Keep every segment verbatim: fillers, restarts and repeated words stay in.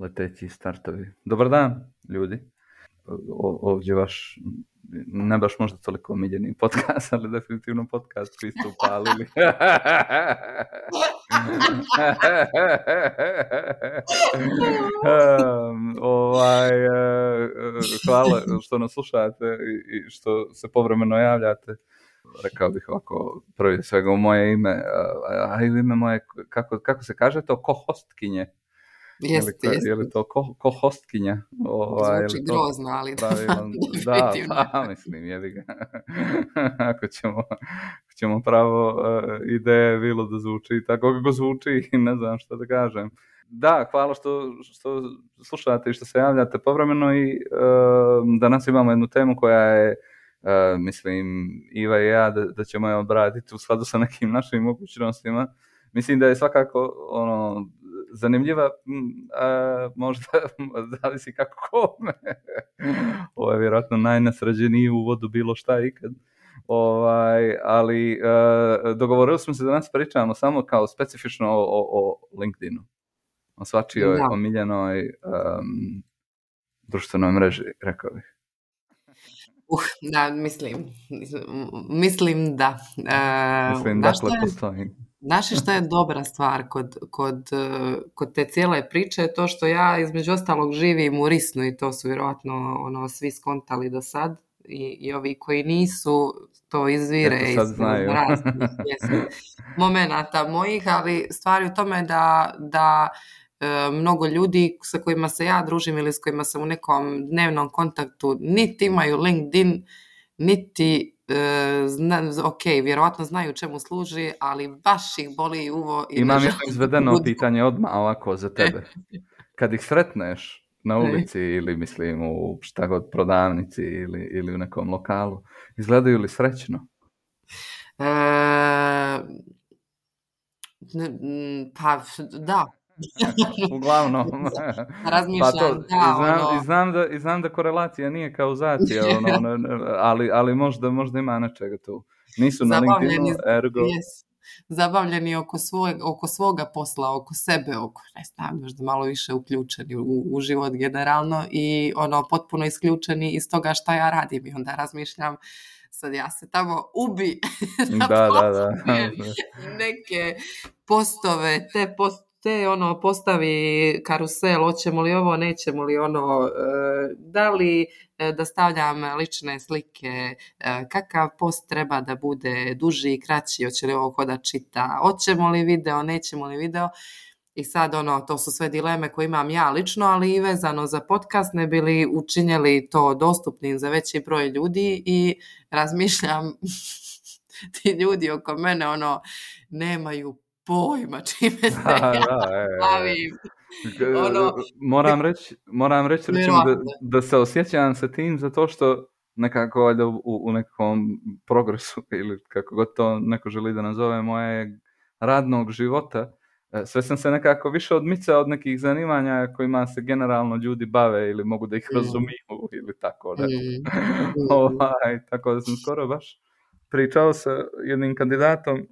leteći startovi. Dobar dan, ljudi. O, ovdje vaš, ne baš možda toliko omiljeni podcast, ali definitivno podcast koji ste upalili. um, ovaj, uh, hvala što nas slušate i što se povremeno javljate. Rekao bih ovako, prvi svega u moje ime, a i u ime moje, kako, kako se kaže to, ko-hostkinje? Jeste, jeste. Je li to ko, ko hostkinja? Ovaj, Zvuči grozno, ali pravilan, da, pa mislim, jebi ga. Ako ćemo, ćemo pravo uh, ideje bilo da zvuči tako kako zvuči, ne znam što da kažem. Da, hvala što, što slušate i što se javljate povremeno i uh, danas imamo jednu temu koja je, uh, mislim, Iva i ja da, da ćemo je obraditi u skladu sa nekim našim mogućnostima. Mislim da je svakako ono zanimljiva, a, možda zavisi kako kome. Ovo je vjerojatno najnesređeniji uvod u bilo šta ikad. Ovaj, ali a, dogovorili smo se da nas pričamo samo kao specifično o, o, o LinkedInu. O svačijoj da. omiljenoj um, društvenoj mreži, rekao bih. Uh, da, mislim, mislim da. Uh, mislim da dakle postoji. Znaš što je dobra stvar kod, kod, kod te cijele priče je to što ja između ostalog živim u Risnu i to su vjerojatno ono, svi skontali do sad i, i ovi koji nisu to izvire iz raznih momenata mojih, ali stvari u tome da, da e, mnogo ljudi sa kojima se ja družim ili s kojima sam u nekom dnevnom kontaktu niti imaju LinkedIn, niti Zna, ok, vjerovatno znaju čemu služi, ali baš ih boli uvo. I imam jedno izvedeno budu. Pitanje odmah ovako za tebe. Kad ih sretneš na ulici ili mislim u šta god prodavnici ili, ili u nekom lokalu, izgledaju li srećno? E, pa da. Uglavnom razmišljam pa to, da, i, znam, ono... i, znam da, i znam da korelacija nije kauzacija ono, ono, ali, ali možda, možda ima nečega tu nisu na LinkedInu ergo yes. Zabavljeni oko, svoj, oko svoga posla, oko sebe, oko ne znam, možda malo više uključeni u, u život generalno i ono potpuno isključeni iz toga šta ja radim i onda razmišljam sad ja se tamo ubi da, da, da. neke postove, te post te ono postavi karusel, hoćemo li ovo, nećemo li ono, da li da stavljam lične slike, kakav post treba da bude duži i kraći, hoće li ovo ko da čita, hoćemo li video, nećemo li video. I sad ono, to su sve dileme koje imam ja lično, ali i vezano za podcast, ne bi li učinjeli to dostupnim za veći broj ljudi i razmišljam ti ljudi oko mene ono nemaju pojma čime se ja bavim. Ono, moram reći, moram reći recimo, da, da se osjećam sa tim zato što nekako u, u nekom progresu ili kako god to neko želi da nazove mojeg radnog života, sve sam se nekako više odmicao od nekih zanimanja kojima se generalno ljudi bave ili mogu da ih mm. razumiju ili tako da. Mm. ovaj, tako da sam skoro baš pričao sa jednim kandidatom.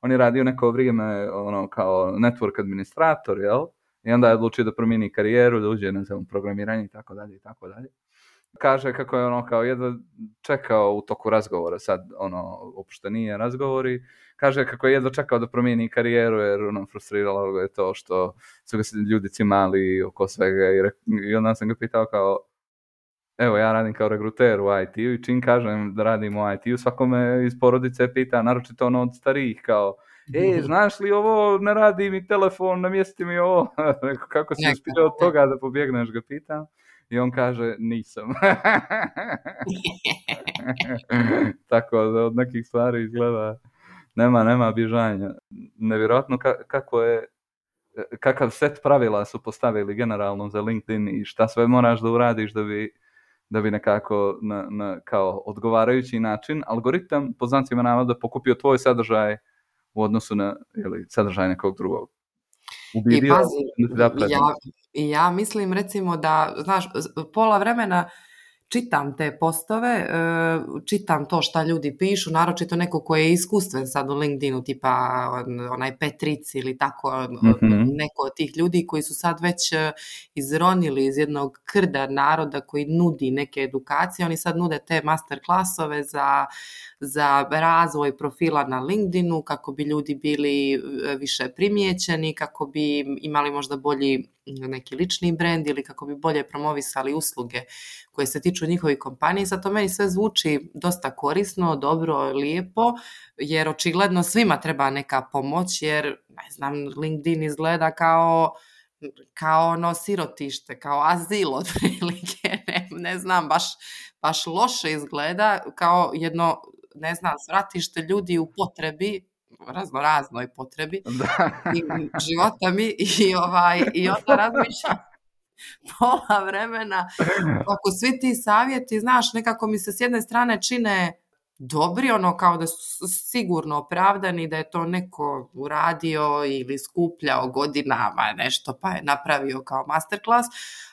On je radio neko vrijeme ono, kao network administrator, jel? I onda je odlučio da promijeni karijeru, da uđe, ne znam, programiranje i tako dalje i tako dalje. Kaže kako je ono kao jedva čekao u toku razgovora, sad ono, uopšte nije razgovori, kaže kako je jedva čekao da promijeni karijeru jer ono, frustriralo ga je to što su ga ljudi cimali oko svega i, re, i onda sam ga pitao kao evo, ja radim kao regruter u I T-u i čim kažem da radim u I T-u, svakome iz porodice pita, naročito ono od starijih, kao, e, znaš li ovo, ne radi mi telefon, namjesti mi ovo, kako si uspio od toga da pobjegneš, ga pitam, i on kaže, nisam. Tako da od nekih stvari izgleda, nema, nema bježanja. Nevjerojatno ka- kako je, kakav set pravila su postavili generalno za LinkedIn i šta sve moraš da uradiš da bi da bi nekako na, na kao odgovarajući način algoritam po znacima navoda pokupio tvoj sadržaj u odnosu na ili sadržaj nekog drugog. Ubidio, I pazi, ja, ja mislim recimo da, znaš, pola vremena čitam te postove, čitam to šta ljudi pišu, naročito neko ko je iskustven sad u LinkedInu, tipa onaj Petric ili tako, mm-hmm. neko od tih ljudi koji su sad već izronili iz jednog krda naroda koji nudi neke edukacije, oni sad nude te master klasove za, za razvoj profila na LinkedInu, kako bi ljudi bili više primijećeni, kako bi imali možda bolji neki lični brand ili kako bi bolje promovisali usluge koje se tiču njihovih kompanija. Sad to meni sve zvuči dosta korisno, dobro, lijepo, jer očigledno svima treba neka pomoć, jer ne znam, LinkedIn izgleda kao kao ono sirotište, kao azil otprilike, ne, ne znam, baš, baš loše izgleda, kao jedno, ne znam, svratište ljudi u potrebi, razno raznoj potrebi i života mi i, ovaj, i onda razmišljam pola vremena ako svi ti savjeti, znaš, nekako mi se s jedne strane čine dobri, ono kao da su sigurno opravdani, da je to neko uradio ili skupljao godinama nešto pa je napravio kao masterclass,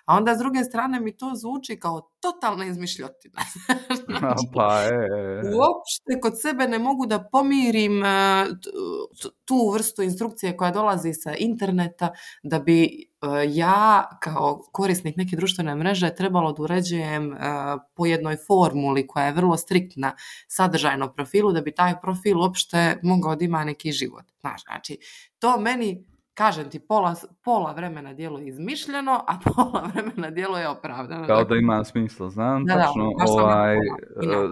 a onda s druge strane mi to zvuči kao totalna izmišljotina. Znači, pa je. Uopšte kod sebe ne mogu da pomirim tu vrstu instrukcije koja dolazi sa interneta, da bi ja kao korisnik neke društvene mreže trebalo da uređujem po jednoj formuli koja je vrlo striktna sadržajnom profilu, da bi taj profil uopšte mogao da ima neki život. Znači, to meni, kažem ti, pola, pola vremena djeluje izmišljeno, a pola vremena djeluje opravdano. Kao da ima smisla. Znam, da, tačno, da, ovaj,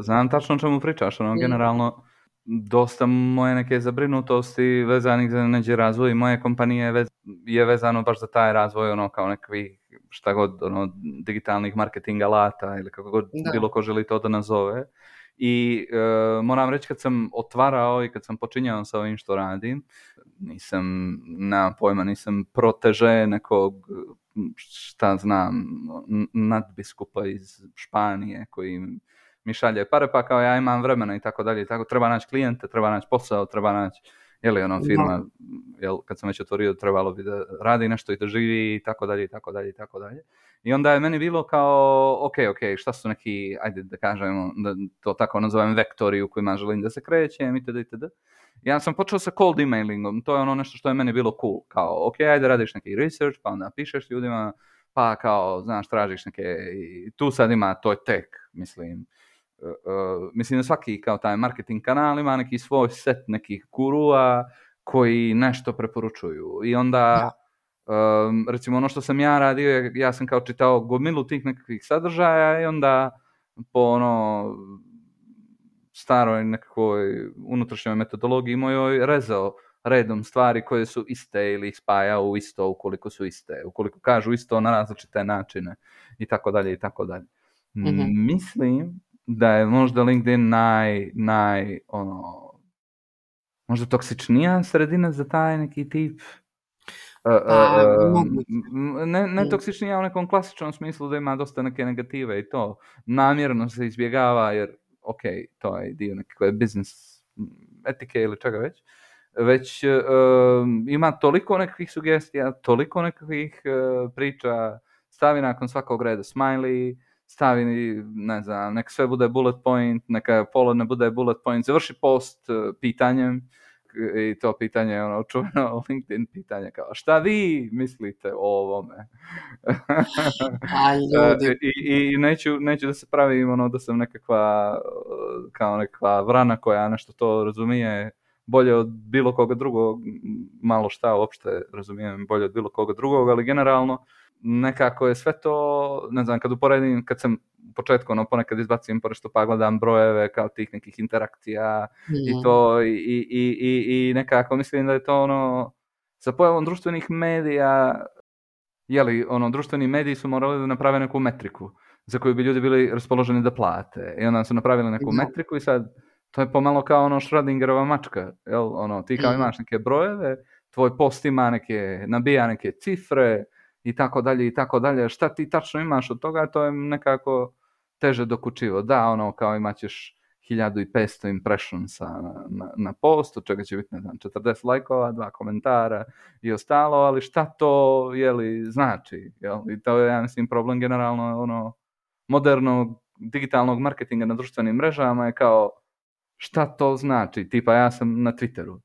znam tačno o čemu pričaš. Ono, generalno, dosta moje neke zabrinutosti vezanih za neđe razvoj i moje kompanije vez, je vezano baš za taj razvoj, ono, kao nekakvih, šta god, ono, digitalnih marketing alata ili kako god da. Bilo ko želi to da nazove. I e, moram reći, kad sam otvarao i kad sam počinjao sa ovim što radim, nisam, na pojma, nisam proteže nekog, šta znam, nadbiskupa iz Španije koji mi šalje pare, pa kao ja imam vremena i tako dalje i tako, treba naći klijente, treba naći posao, treba naći, jeli ono firma, jel, kad sam već otvorio, trebalo bi da radi nešto i da živi i tako dalje i tako dalje i tako dalje. I onda je meni bilo kao, ok, ok, šta su neki, ajde da kažemo, da to tako nazovem vektori u kojima želim da se krećem itd. itd. Ja sam počeo sa cold emailingom, to je ono nešto što je meni bilo cool, kao, ok, ajde radiš neki research, pa onda pišeš ljudima, pa kao, znaš, tražiš neke, i tu sad ima, to je tek, mislim, uh, uh, mislim da svaki kao taj marketing kanal ima neki svoj set nekih gurua koji nešto preporučuju i onda... Um, recimo ono što sam ja radio, ja sam kao čitao gomilu tih nekakvih sadržaja i onda po ono staroj nekakvoj unutrašnjoj metodologiji mojoj rezao redom stvari koje su iste ili ih spajao u isto ukoliko su iste, ukoliko kažu isto na različite načine i tako dalje i tako dalje. Mm-hmm. Mislim da je možda LinkedIn naj, naj ono, možda toksičnija sredina za taj neki tip. Uh, uh, uh, ne, ne toksičnija u nekom klasičnom smislu da ima dosta neke negative i to namjerno se izbjegava jer ok, to je dio nekakve business etike ili čega već, već uh, ima toliko nekakvih sugestija, toliko nekakvih uh, priča, stavi nakon svakog reda smiley, stavi, ne znam, nek sve bude bullet point, neka pola ne bude bullet point, završi post uh, pitanjem. I to pitanje je ono čuveno LinkedIn pitanje kao šta vi mislite o ovome? I, i, i neću, neću da se pravim ono da sam nekakva kao nekakva vrana koja nešto to razumije bolje od bilo koga drugog, malo šta uopšte razumijem bolje od bilo koga drugog, ali generalno nekako je sve to, ne znam, kad uporedim, kad sam u početku ono ponekad izbacim porešto pa gledam brojeve kao tih nekih interakcija mm. i to i, i, i, i nekako mislim da je to ono sa pojavom društvenih medija, jeli, ono, društveni mediji su morali da naprave neku metriku za koju bi ljudi bili raspoloženi da plate i onda su napravili neku mm. metriku i sad to je pomalo kao ono Schrödingerova mačka, jel, ono, ti kao mm. imaš neke brojeve, tvoj post ima neke, nabija neke cifre i tako dalje i tako dalje, šta ti tačno imaš od toga, to je nekako teže dokučivo. Da, ono, kao imat ćeš hiljadu i petsto impressionsa na, na, na postu, čega će biti, ne znam, četrdeset lajkova, dva komentara i ostalo, ali šta to, jeli, znači, jel? I to je, ja mislim, problem generalno, ono, modernog digitalnog marketinga na društvenim mrežama je kao šta to znači? Tipa ja sam na Twitteru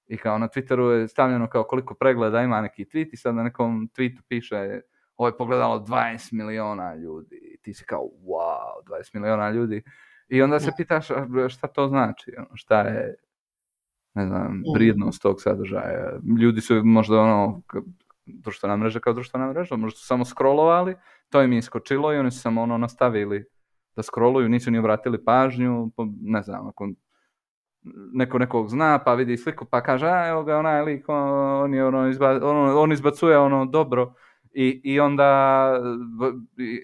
i kao na Twitteru je stavljeno kao koliko pregleda ima neki tweet i sad na nekom tweetu piše ovo je pogledalo dvadeset miliona ljudi i ti si kao wow, dvadeset miliona ljudi i onda se pitaš šta to znači, šta je, ne znam, vrijednost tog sadržaja. Ljudi su možda ono, društvena mreža kao društvena mreža, možda su samo scrollovali, to im je iskočilo i oni su samo ono nastavili da scrolluju, nisu ni obratili pažnju, ne znam, ako neko nekog zna, pa vidi sliku, pa kaže, a evo ga onaj lik, on, je ono, izba, ono, on izbacuje ono dobro i, i onda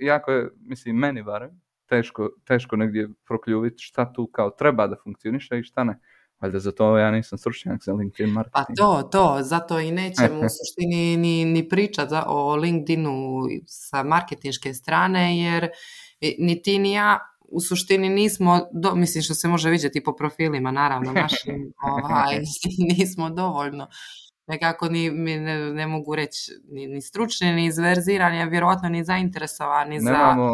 jako je, mislim, meni barem, teško, teško negdje prokljuviti šta tu kao treba da funkcioniše i šta ne. Valjda za to ja nisam stručnjak za LinkedIn marketing. Pa to, to, zato i nećemo u suštini ni, ni pričati o LinkedInu sa marketinške strane, jer ni ti ni ja u suštini nismo, do, mislim što se može vidjeti po profilima, naravno, našim, ovaj, nismo dovoljno. Nekako ni, ne, ne mogu reći ni, ni stručni, ni izverzirani, a vjerojatno ni zainteresovani za... Nemamo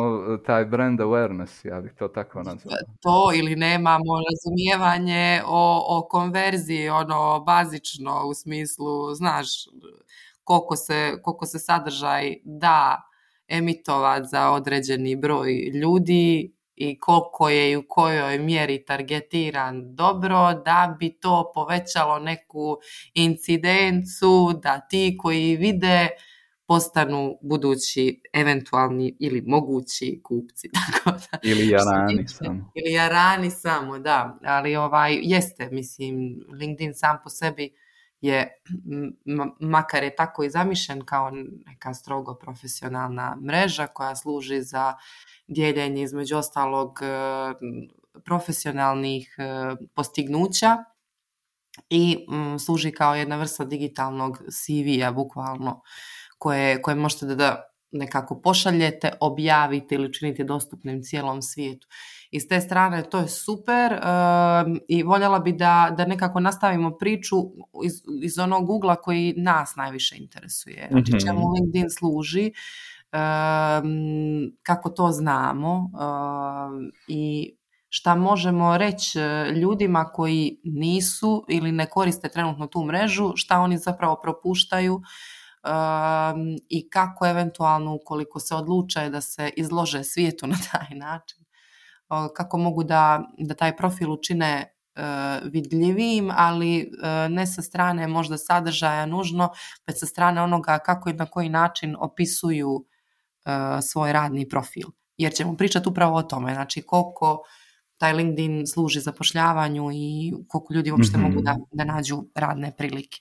taj brand awareness, ja bih to tako nazvao. To, ili nemamo razumijevanje o, o konverziji, ono, bazično, u smislu, znaš, koliko se, koliko se sadržaj da emitovati za određeni broj ljudi i koliko je i u kojoj mjeri targetiran dobro, da bi to povećalo neku incidencu, da ti koji vide postanu budući eventualni ili mogući kupci. Tako da, ili jarani samo. Ili jarani samo, da. Ali ovaj, jeste, mislim, LinkedIn sam po sebi je, m- makar je tako i zamišljen kao neka strogo profesionalna mreža koja služi za dijeljenje između ostalog profesionalnih postignuća i m, služi kao jedna vrsta digitalnog C V-a bukvalno koje, koje možete da, da nekako pošaljete, objavite ili učinite dostupnim cijelom svijetu. I s te strane to je super um, i voljela bi da, da nekako nastavimo priču iz, iz onog ugla koji nas najviše interesuje. Znači mm-hmm. čemu LinkedIn služi, um, kako to znamo um, i šta možemo reći ljudima koji nisu ili ne koriste trenutno tu mrežu, šta oni zapravo propuštaju. Um, i kako eventualno ukoliko se odluče da se izlože svijetu na taj način, uh, kako mogu da, da taj profil učine uh, vidljivijim, ali uh, ne sa strane možda sadržaja nužno, već sa strane onoga kako i na koji način opisuju uh, svoj radni profil. Jer ćemo pričati upravo o tome, znači koliko taj LinkedIn služi zapošljavanju i koliko ljudi uopšte mm-hmm. mogu da, da nađu radne prilike.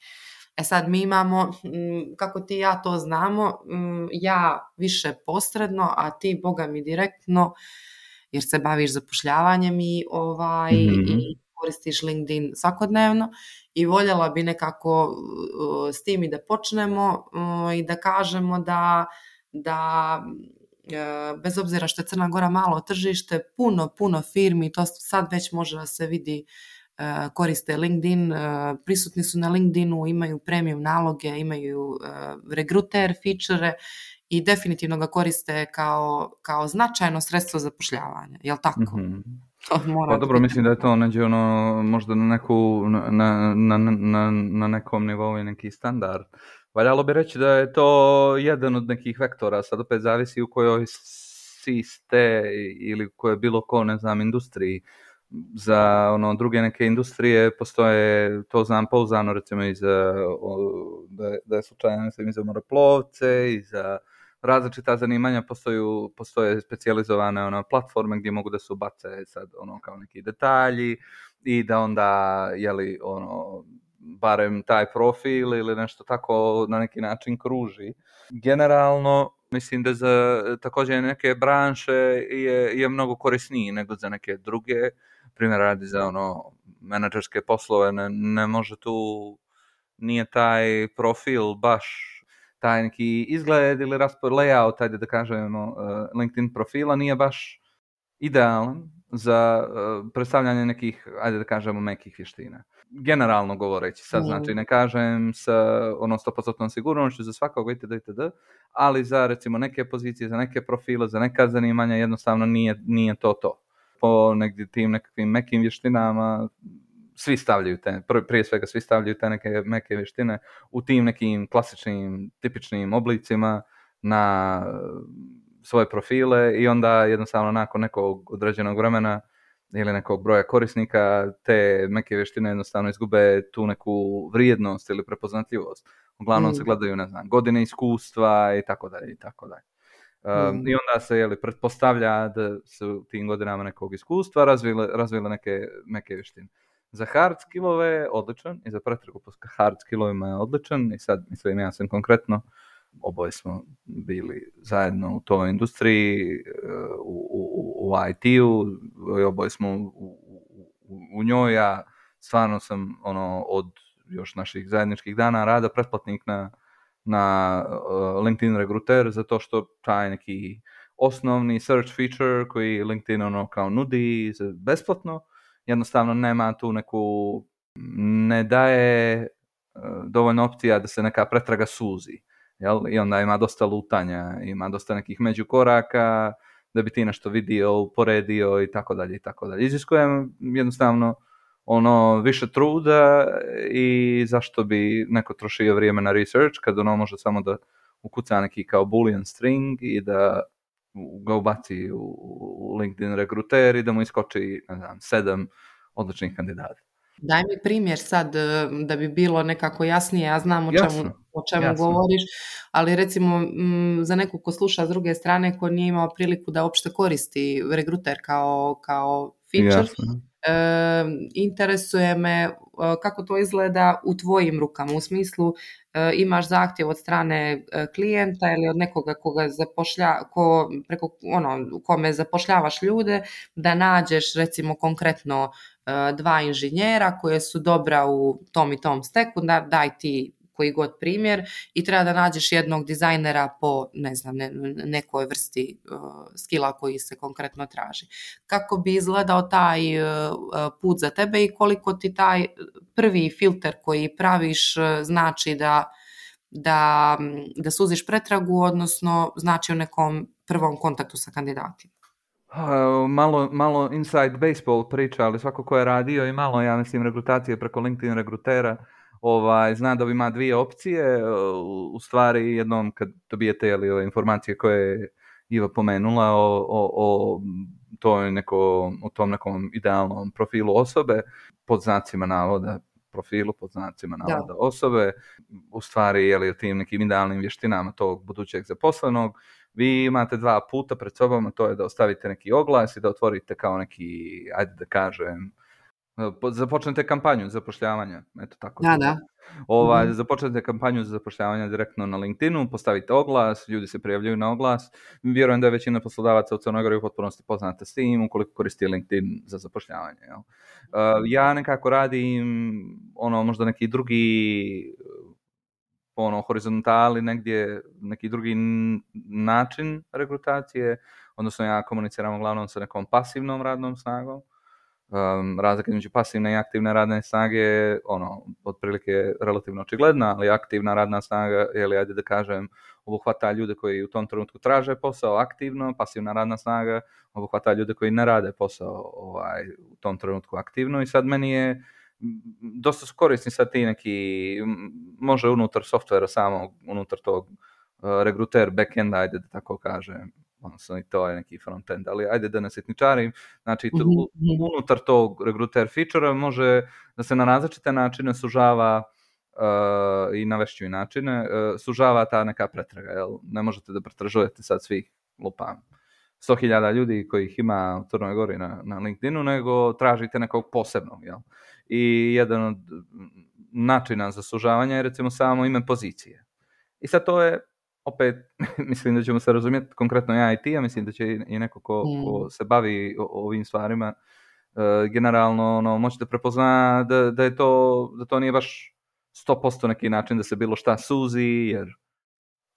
E sad mi imamo, kako ti i ja to znamo, ja više posredno, a ti boga mi direktno, jer se baviš zapošljavanjem i, ovaj, mm-hmm. i koristiš LinkedIn svakodnevno i voljela bi nekako uh, s tim i da počnemo uh, i da kažemo da, da uh, bez obzira što je Crna Gora malo tržište, puno, puno firmi, to sad već može da se vidi, Uh, koriste LinkedIn, uh, prisutni su na LinkedInu, imaju premium naloge, imaju uh, regruter feature i definitivno ga koriste kao, kao značajno sredstvo zapošljavanja. Jel tako? Mm-hmm. To mora pa dobro, biti. Mislim da je to neđe ono, možda na, neku, na, na, na, na nekom nivou neki standard. Valjalo bi reći da je to jedan od nekih vektora, sad opet zavisi u kojoj si ste ili u kojoj bilo ko, ne znam, industriji. Za ono druge neke industrije postoje, to znam pouzdano recimo i za, da, da je slučajno mislim i za moreplovce i za različita zanimanja postoje, postoje specijalizovane ono, platforme gdje mogu da se ubace sad ono kao neki detalji i da onda jeli ono barem taj profil ili nešto tako na neki način kruži. Generalno mislim da za također neke branše je, je mnogo korisniji nego za neke druge. Primjer radi za ono menadžerske poslove, ne, ne može tu, nije taj profil baš taj neki izgled ili raspor layout, ajde da kažemo, uh, LinkedIn profila nije baš idealan za uh, predstavljanje nekih, ajde da kažemo, mekih vještina. Generalno govoreći, sad mm. znači ne kažem sa ono sto posto sigurnošću za svakog itd. itd. Ali za recimo neke pozicije, za neke profile, za neka zanimanja jednostavno nije, nije to to. Po negdje tim nekakvim mekim vještinama svi stavljaju te, prije svega svi stavljaju te neke meke vještine u tim nekim klasičnim, tipičnim oblicima na svoje profile i onda jednostavno nakon nekog određenog vremena ili nekog broja korisnika te neke vještine jednostavno izgube tu neku vrijednost ili prepoznatljivost. Uglavnom mm. se gledaju, ne znam, godine iskustva i tako dalje i tako dalje. Um, mm. I onda se jeli, pretpostavlja da su u tim godinama nekog iskustva razvile, razvile neke neke vještine. Za hard skillove je odličan i za pretragu po hard skillovima je odličan i sad mislim ja sam konkretno oboje smo bili zajedno u toj industriji, u, u, u I T-u, oboje smo u, u, u njoj, ja stvarno sam ono, od još naših zajedničkih dana rada pretplatnik na, na uh, LinkedIn Recruiter, zato što taj neki osnovni search feature koji LinkedIn ono kao nudi besplatno, jednostavno nema tu neku, ne daje uh, dovoljno opcija da se neka pretraga suzi. Jel? I onda ima dosta lutanja, ima dosta nekih međukoraka da bi ti nešto vidio, uporedio i tako dalje i tako dalje. Iziskuje jednostavno ono više truda i zašto bi neko trošio vrijeme na research kad ono može samo da ukuca neki kao boolean string i da ga ubaci u LinkedIn Recruiter i da mu iskoči, ne znam, sedam odličnih kandidata. Daj mi primjer sad da bi bilo nekako jasnije, ja znam o čemu, jasno, o čemu jasno. govoriš, ali recimo m, za nekog ko sluša s druge strane ko nije imao priliku da uopšte koristi Recruiter kao, kao feature, e, interesuje me kako to izgleda u tvojim rukama, u smislu e, imaš zahtjev od strane klijenta ili od nekoga koga zapošlja, ko, preko, ono, kome zapošljavaš ljude, da nađeš recimo konkretno dva inženjera koje su dobra u tom i tom steku, da, daj ti koji god primjer i treba da nađeš jednog dizajnera po ne znam, ne, nekoj vrsti uh, skilla koji se konkretno traži. Kako bi izgledao taj uh, put za tebe i koliko ti taj prvi filter koji praviš uh, znači da, da, da suziš pretragu, odnosno znači u nekom prvom kontaktu sa kandidatima? Uh, malo, malo inside baseball priča, ali svako ko je radio i malo, ja mislim, rekrutacije preko LinkedIn Recruitera, ovaj, zna da ima dvije opcije. U, u stvari, jednom kad dobijete jeli, ove informacije koje je Iva pomenula o, o, o, toj neko, o tom nekom idealnom profilu osobe, pod znacima navoda profilu, pod znacima navoda da. osobe, u stvari jeli, o tim nekim idealnim vještinama tog budućeg zaposlenog, vi imate dva puta pred sobom, to je da ostavite neki oglas i da otvorite kao neki, ajde da kažem, započnete kampanju zapošljavanja, eto tako. Da, da. Ovaj, mm-hmm. Započnete kampanju za zapošljavanje direktno na LinkedInu, postavite oglas, ljudi se prijavljuju na oglas. Vjerujem da je većina poslodavaca u Crnoj Gori u potpunosti poznata s tim, ukoliko koristi LinkedIn za zapošljavanje. Jel? Uh, ja nekako radim ono možda neki drugi ono horizontali negdje, neki drugi način rekrutacije, odnosno ja komuniciram uglavnom sa nekom pasivnom radnom snagom. Um, razlika između pasivne i aktivne radne snage je ono, otprilike relativno očigledna, ali aktivna radna snaga, ili ajde da kažem, obuhvata ljude koji u tom trenutku traže posao aktivno, pasivna radna snaga obuhvata ljude koji ne rade posao ovaj, u tom trenutku aktivno i sad meni je dosta su korisni sad ti neki, može unutar softvera samog, unutar tog uh, Recruiter backenda, ajde da tako kažem, odnosno i to je neki frontend, ali ajde da ne sitničarim, znači to, mm-hmm. unutar tog Recruiter feature može da se na različite načine sužava uh, i navešću i načine, uh, sužava ta neka pretraga, jel? Ne možete da pretražujete sad svih lupam sto hiljada ljudi kojih ima u Crnoj Gori na, na LinkedInu, nego tražite nekog posebnog, jel? I jedan od načina za sužavanje je recimo samo ime pozicije. I sad to je, opet, mislim da ćemo se razumjeti, konkretno ja i ti, ja mislim da će i neko ko, mm. ko se bavi ovim stvarima, uh, generalno ono, možete prepoznati da, da, je to, da to nije baš sto posto neki način da se bilo šta suzi, jer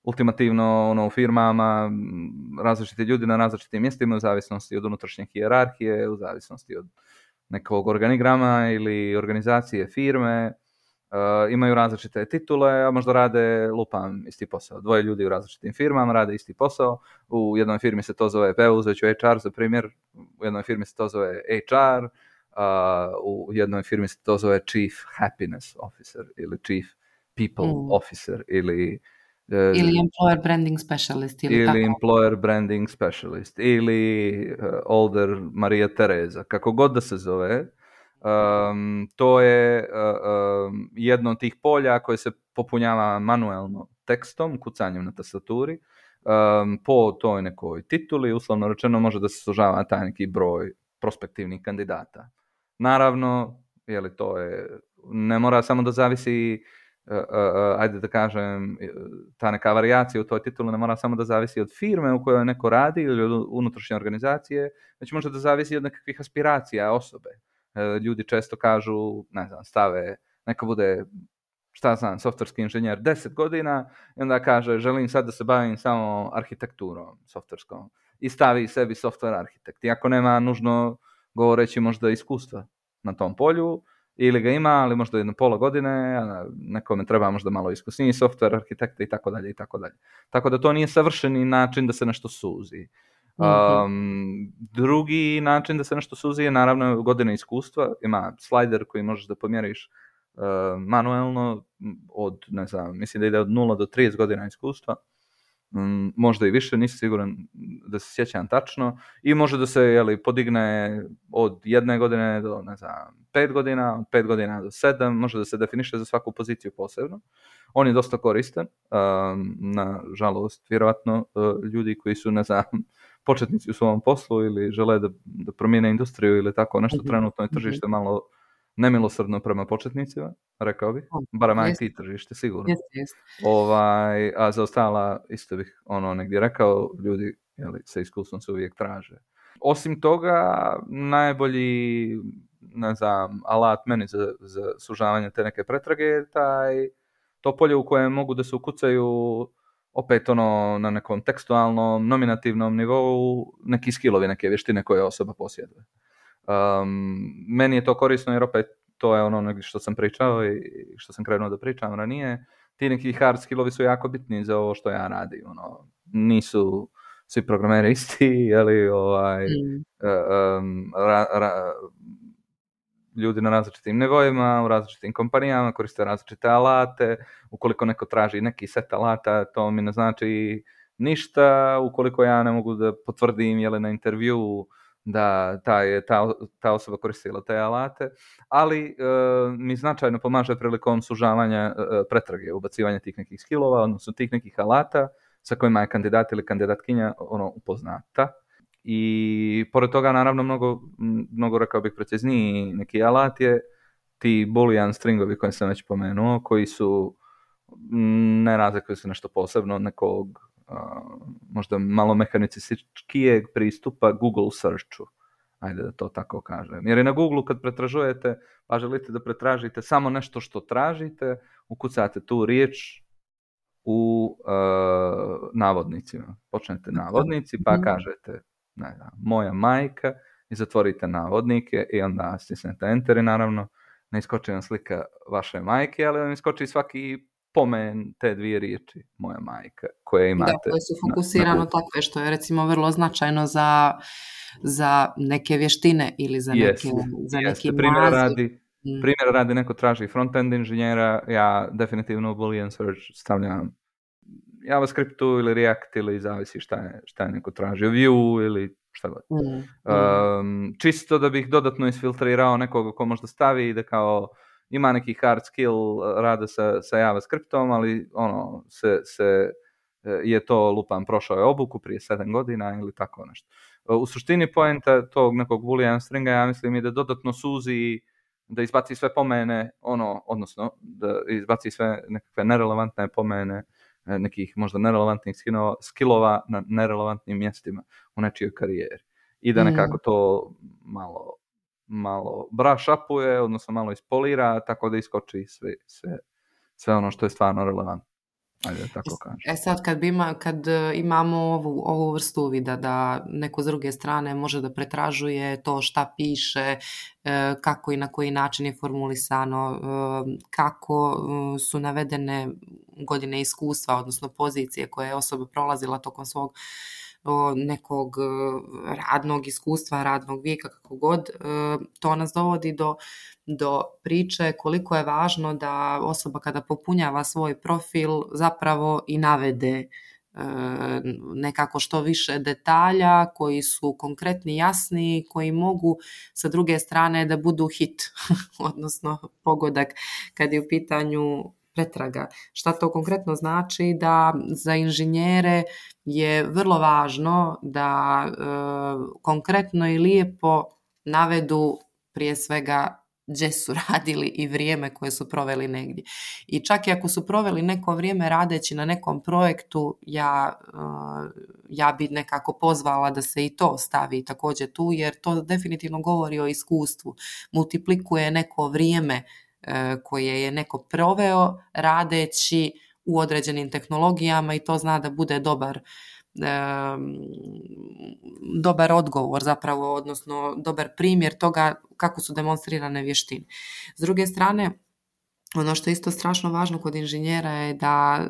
ultimativno ono, u firmama različiti ljudi na različitim mjestima u zavisnosti od unutrašnje hijerarhije, u zavisnosti od nekog organigrama ili organizacije firme. Uh, imaju različite titule, a možda rade, lupam, isti posao. Dvoje ljudi u različitim firmama rade isti posao. U jednoj firmi se to zove, evo uzet ću H R za primjer, u jednoj firmi se to zove H R, uh, u jednoj firmi se to zove Chief Happiness Officer ili Chief People mm. Officer ili uh, ili Employer Branding Specialist ili, ili tako. Employer Branding Specialist ili uh, Older Maria Tereza, kako god da se zove. Um, to je uh, um, jedno od tih polja koje se popunjava manuelno tekstom, kucanjem na tastaturi, um, po toj nekoj tituli, uslovno rečeno može da se sužava taj neki broj prospektivnih kandidata. Naravno, jeli, to je, ne mora samo da zavisi, uh, uh, uh, ajde da kažem, ta neka varijacija u toj tituli ne mora samo da zavisi od firme u kojoj neko radi ili od unutrašnje organizacije, već može da zavisi od nekakvih aspiracija osobe. Ljudi često kažu, ne znam, stave, neka bude, šta znam, softverski inženjer deset godina i onda kaže, želim sad da se bavim samo arhitekturom softverskom i stavi sebi software arhitekt. Iako nema nužno govoreći možda iskustva na tom polju, ili ga ima, ali možda jedno pola godine, a nekome treba možda malo iskusniji software arhitekta i tako dalje i tako dalje. Tako da to nije savršeni način da se nešto suzi. Um, drugi način da se nešto suzi je naravno godine iskustva. Ima slider koji možeš da pomjeriš uh, manuelno od, ne znam, mislim da ide od nula do trideset godina iskustva. Um, možda i više, nisam siguran da se sjećam tačno. I može da se, jeli, podigne od jedne godine do, ne znam, pet godina, od pet godina do sedam, može da se definiše za svaku poziciju posebno. On je dosta koristan. Um, nažalost, vjerovatno uh, ljudi koji su, ne znam, početnici u svom poslu ili žele da, da promijene industriju ili tako nešto, mm-hmm. trenutno je tržište malo nemilosrdno prema početnicima, rekao bih. Barem I T tržište, sigurno. Jest, jest. Ovaj, a za ostala, isto bih ono negdje rekao, ljudi, jeli, sa iskustvom se uvijek traže. Osim toga, najbolji, ne znam, alat meni za, za sužavanje te neke pretrage je taj, to polje u kojem mogu da se ukucaju opet ono na nekom tekstualnom, nominativnom nivou neki skillovi, neke vještine koje osoba posjeduje. Um, meni je to korisno jer opet to je ono što sam pričao i što sam krenuo da pričam ranije. Ti neki hard skillovi su jako bitni za ovo što ja radim. Ono, nisu svi programeri isti, ali ovaj, mm. um, ra, ra, ljudi na različitim nivoima, u različitim kompanijama, koriste različite alate. Ukoliko neko traži neki set alata, to mi ne znači ništa. Ukoliko ja ne mogu da potvrdim jeli, na intervju da ta, je, ta, ta osoba koristila te alate, ali e, mi značajno pomaže prilikom sužavanja e, pretrage, ubacivanja tih nekih skillova, odnosno tih nekih alata sa kojima je kandidat ili kandidatkinja ono, upoznata. I pored toga, naravno, mnogo, mnogo rekao bih precizniji neki alat je ti boolean stringovi koje sam već pomenuo, koji su, ne razlikuju se nešto posebno od nekog uh, možda malo mehanicističkijeg pristupa Google searchu. Ajde da to tako kažem. Jer i na Google kad pretražujete, pa želite da pretražite samo nešto što tražite, ukucate tu riječ u uh, navodnicima. Počnete navodnici pa kažete ne znam, moja majka i zatvorite navodnike i onda stisnete enter i naravno ne iskoči vam slika vaše majke, ali vam iskoči svaki pomen te dvije riječi, moja majka, koje imate. Da, koje su fokusirano takve, što je recimo vrlo značajno za, za neke vještine ili za yes, neke, za yes. neki primjer radi, primjer radi neko traži front-end inženjera, ja definitivno u Boolean search stavljam JavaScriptu ili React ili zavisi šta je, šta je neko tražio, Vue ili šta god. Mm, mm. Um, čisto da bih dodatno isfiltrirao nekoga ko možda stavi da kao ima neki hard skill rada sa, sa JavaScriptom, ali ono, se, se je to lupam, prošao je obuku prije sedam godina ili tako nešto. U suštini poenta tog nekog boolean stringa, ja mislim, je da dodatno suzi, da izbaci sve pomene, ono, odnosno da izbaci sve nekakve nerelevantne pomene nekih možda nerelevantnih skillova na nerelevantnim mjestima u nečijoj karijeri. I da nekako to malo, malo brush upuje, odnosno malo ispolira, tako da iskoči sve, sve, sve ono što je stvarno relevantno. Ajde, tako kažem. E sad, kad, bi ima, kad imamo ovu, ovu vrstu uvida da neko s druge strane može da pretražuje to šta piše, kako i na koji način je formulisano, kako su navedene godine iskustva, odnosno pozicije koje je osoba prolazila tokom svog nekog radnog iskustva, radnog vijeka, kako god, to nas dovodi do, do priče koliko je važno da osoba kada popunjava svoj profil zapravo i navede nekako što više detalja koji su konkretni, jasni, koji mogu sa druge strane da budu hit, odnosno pogodak kad je u pitanju pretraga. Šta to konkretno znači? Da za inženjere je vrlo važno da e, konkretno i lijepo navedu prije svega gdje su radili i vrijeme koje su proveli negdje. I čak i ako su proveli neko vrijeme radeći na nekom projektu, ja, ja bi nekako pozvala da se i to stavi također tu, jer to definitivno govori o iskustvu. Multiplikuje neko vrijeme koje je neko proveo radeći u određenim tehnologijama i to zna da bude dobar dobar odgovor zapravo, odnosno dobar primjer toga kako su demonstrirane vještine. S druge strane, ono što je isto strašno važno kod inženjera je da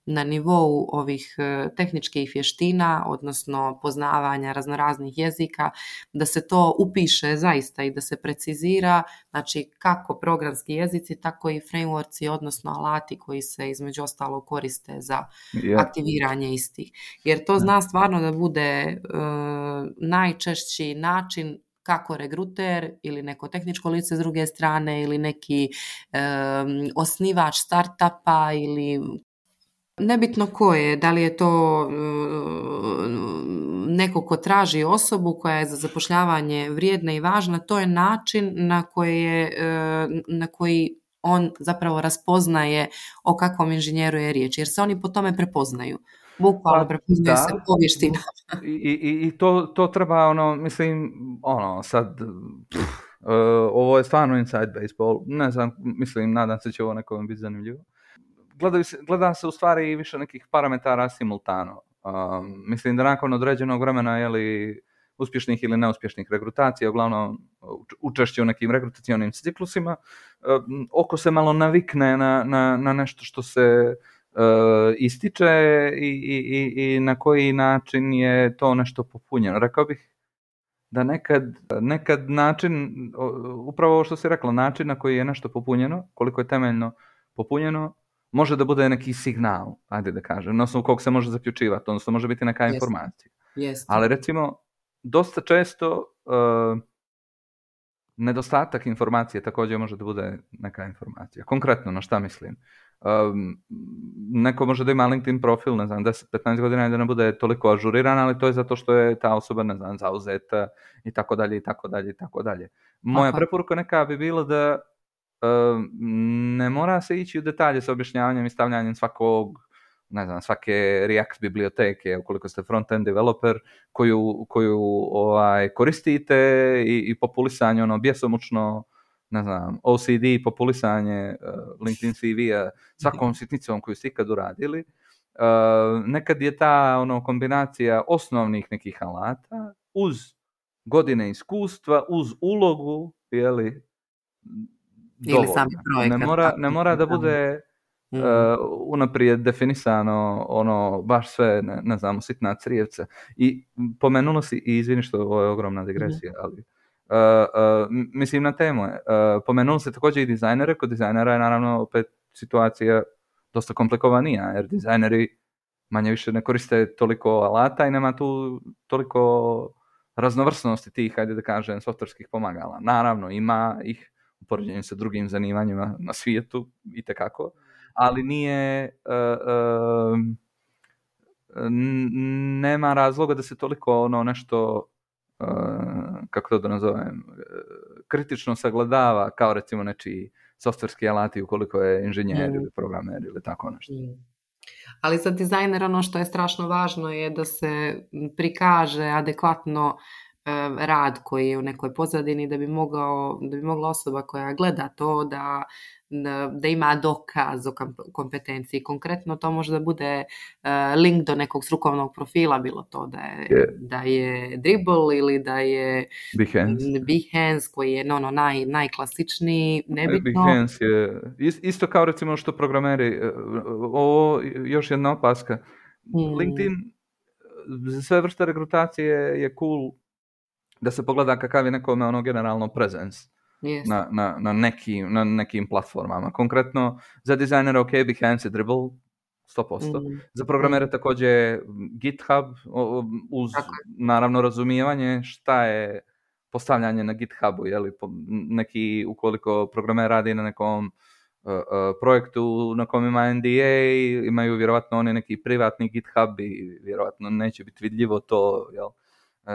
na nivou ovih tehničkih vještina, odnosno poznavanja raznoraznih jezika, da se to upiše zaista i da se precizira, znači kako programski jezici, tako i frameworksi, odnosno alati koji se između ostalog koriste za yeah. aktiviranje istih. Jer to zna stvarno da bude uh, najčešći način kako regruter ili neko tehničko lice s druge strane ili neki um, osnivač startupa ili nebitno ko je, da li je to um, neko ko traži osobu koja je za zapošljavanje vrijedna i važna, to je način na koji, je, uh, na koji on zapravo raspoznaje o kakvom inženjeru je riječ, jer se oni po tome prepoznaju. Bukvalno prepoznaju se po vještinama. I, i, i to, to treba, ono, mislim, ono, sad, pff, uh, ovo je stvarno inside baseball, ne znam, mislim, nadam se će ovo nekom biti zanimljivo. Gledaju se, gleda se u stvari više nekih parametara simultano. Um, mislim da nakon određenog vremena, jeli, uspješnih ili neuspješnih regrutacija, uglavnom učešće u nekim regrutacionim ciklusima, um, oko se malo navikne na, na, na nešto što se Uh, ističe i, i, i na koji način je to nešto popunjeno. Rekao bih da nekad, nekad način, upravo ovo što si rekla, način na koji je nešto popunjeno, koliko je temeljno popunjeno, može da bude neki signal, ajde da kažem, na osnovu kog se može zaključivati, odnosno može biti neka Jeste. informacija. Jeste. Ali recimo, dosta često uh, nedostatak informacije također može da bude neka informacija. Konkretno, na šta mislim? Um, neko može da ima LinkedIn profil, ne znam, deset do petnaest godina i da ne bude toliko ažuriran, ali to je zato što je ta osoba, ne znam, zauzeta i tako dalje i tako dalje i tako dalje. Moja Aha. preporuka neka bi bila da um, ne mora se ići u detalje sa objašnjavanjem i stavljanjem svakog, ne znam, svake React biblioteke, ukoliko ste front-end developer, koju, koju ovaj, koristite i, i populisanje, ono, bjesomučno, ne znam, O C D, populisanje uh, LinkedIn C V-a, svakom sitnicom koju ste ikad uradili. Uh, nekad je ta ono, kombinacija osnovnih nekih alata uz godine iskustva, uz ulogu, jeli, ili sami projekat. Ne mora, ne mora da bude uh, unaprijed definisano ono, baš sve, ne, ne znam, sitna crijevca. I pomenulo si, i izvini što ovo je ogromna digresija, ali Uh, uh, mislim na temu je. Uh, pomenuo se također i dizajnere. Kod dizajnera je naravno opet situacija dosta komplikovanija, jer dizajneri manje više ne koriste toliko alata i nema tu toliko raznovrsnosti tih, hajde da kažem, softverskih pomagala. Naravno, ima ih u poređenju sa drugim zanimanjima na svijetu, itekako, ali nije uh, uh, n- nema razloga da se toliko ono nešto Uh, kako to da nazovem, uh, kritično sagledava kao recimo nečiji softverski alati ukoliko je inženjer mm. ili programer ili tako nešto. Mm. Ali za dizajner ono što je strašno važno je da se prikaže adekvatno rad koji je u nekoj pozadini, da bi, mogao, da bi mogla osoba koja gleda to da, da, da ima dokaz o kompetenciji. Konkretno to može da bude link do nekog strukovnog profila, bilo to da je, yeah. da je Dribbble ili da je Behance, Behance koji je no, no, naj, najklasičniji, nebitno. Behance je isto kao recimo što programeri, ovo još jedna opaska. Hmm. LinkedIn za sve vrste rekrutacije je cool da se pogleda kakav je nekome ono generalno presence yes. na, na, na, nekim, na nekim platformama. Konkretno za dizajnere ok, Behance i Dribbble sto posto. Mm. Za programere mm. također GitHub uz Tako. naravno razumijevanje šta je postavljanje na GitHubu. Jeli, neki, ukoliko programer radi na nekom uh, uh, projektu na kom ima N D A, imaju vjerovatno oni neki privatni GitHub i vjerovatno neće biti vidljivo to, jel?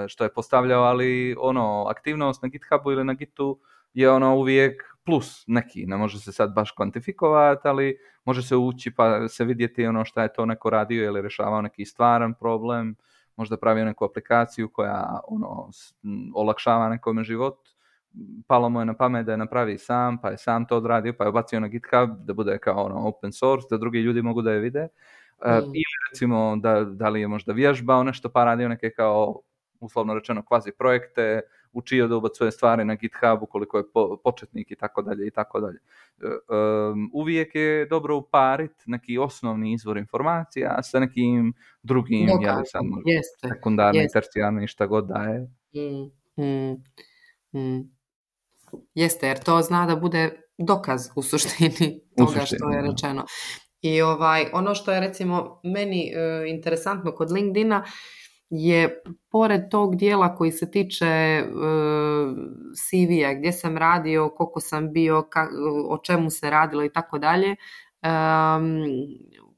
Što je postavljao, ali ono, aktivnost na GitHubu ili na Gitu je ono uvijek plus neki, ne može se sad baš kvantifikovati, ali može se ući pa se vidjeti ono šta je to neko radio ili rješavao neki stvaran problem, možda pravio neku aplikaciju koja ono, olakšava nekome život, palo mu je na pamet da je napravi sam, pa je sam to odradio, pa je obacio na GitHub da bude kao ono open source, da drugi ljudi mogu da je vide. Mm. Uh, ili recimo da, da li je možda vježbao nešto pa radio neke kao uslovno rečeno kvazi projekte, učio da ubacuje stvari na GitHub ukoliko je po, početnik i tako dalje i tako dalje. Um, uvijek je dobro upariti neki osnovni izvor informacija sa nekim drugim, Dokaz, jeli sad jeste, sekundarni, jeste. tercijarni, šta god da je. Mm, mm, mm. Jeste, jer to zna da bude dokaz u suštini toga u suštini, što je rečeno. I ovaj, ono što je recimo meni uh, interesantno kod LinkedIna je pored tog dijela koji se tiče uh, C V-a, gdje sam radio, koliko sam bio, ka, o čemu se radilo i tako dalje,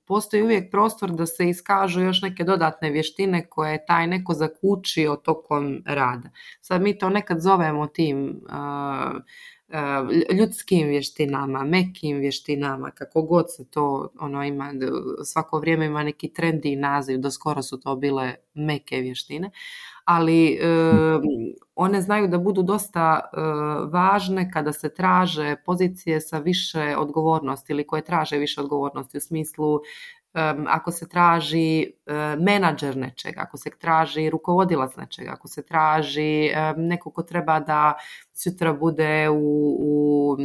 postoji uvijek prostor da se iskažu još neke dodatne vještine koje je taj neko zakučio tokom rada. Sad mi to nekad zovemo tim uh, ljudskim vještinama, mekim vještinama, kako god se to ono ima, svako vrijeme ima neki trendi naziv, do skoro su to bile meke vještine, ali e, one znaju da budu dosta e, važne kada se traže pozicije sa više odgovornosti ili koje traže više odgovornosti u smislu Um, ako se traži uh, menadžer nečega, ako se traži rukovodilac nečega, ako se traži um, neko ko treba da sutra bude u, u,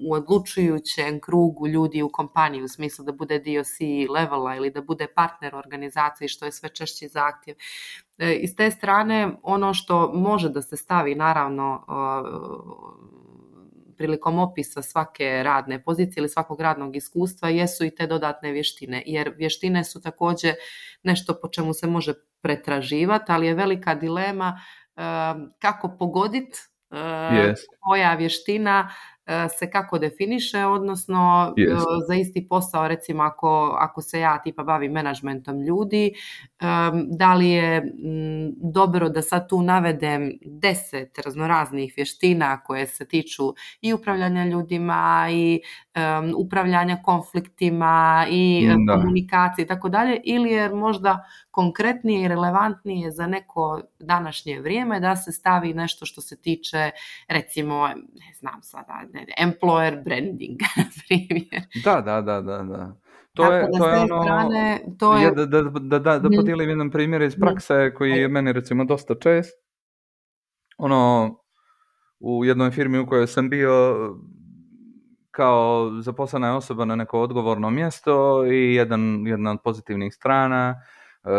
u odlučujućem krugu ljudi u kompaniji, u smislu da bude dio C levela ili da bude partner organizaciji, što je sve češći zahtjev. E, iz te strane, ono što može da se stavi, naravno, uh, prilikom opisa svake radne pozicije ili svakog radnog iskustva jesu i te dodatne vještine, jer vještine su također nešto po čemu se može pretraživati, ali je velika dilema uh, kako pogoditi uh, yes. koja vještina se kako definiše, odnosno yes. za isti posao, recimo ako, ako se ja tipa bavim menadžmentom ljudi, um, da li je m, dobro da sad tu navedem deset raznoraznih vještina koje se tiču i upravljanja ljudima i um, upravljanja konfliktima i da. komunikacije i tako dalje, ili je možda konkretnije i relevantnije za neko današnje vrijeme da se stavi nešto što se tiče, recimo, ne znam sada, employer branding, primjer. Da, da, da, da, da. To je, to je ono, strane, to je... da, da, da, da, da podijelim jedan primjer iz prakse koji je meni recimo dosta čest. Ono, u jednoj firmi u kojoj sam bio kao zaposlena osoba na neko odgovorno mjesto i jedan, jedna od pozitivnih strana,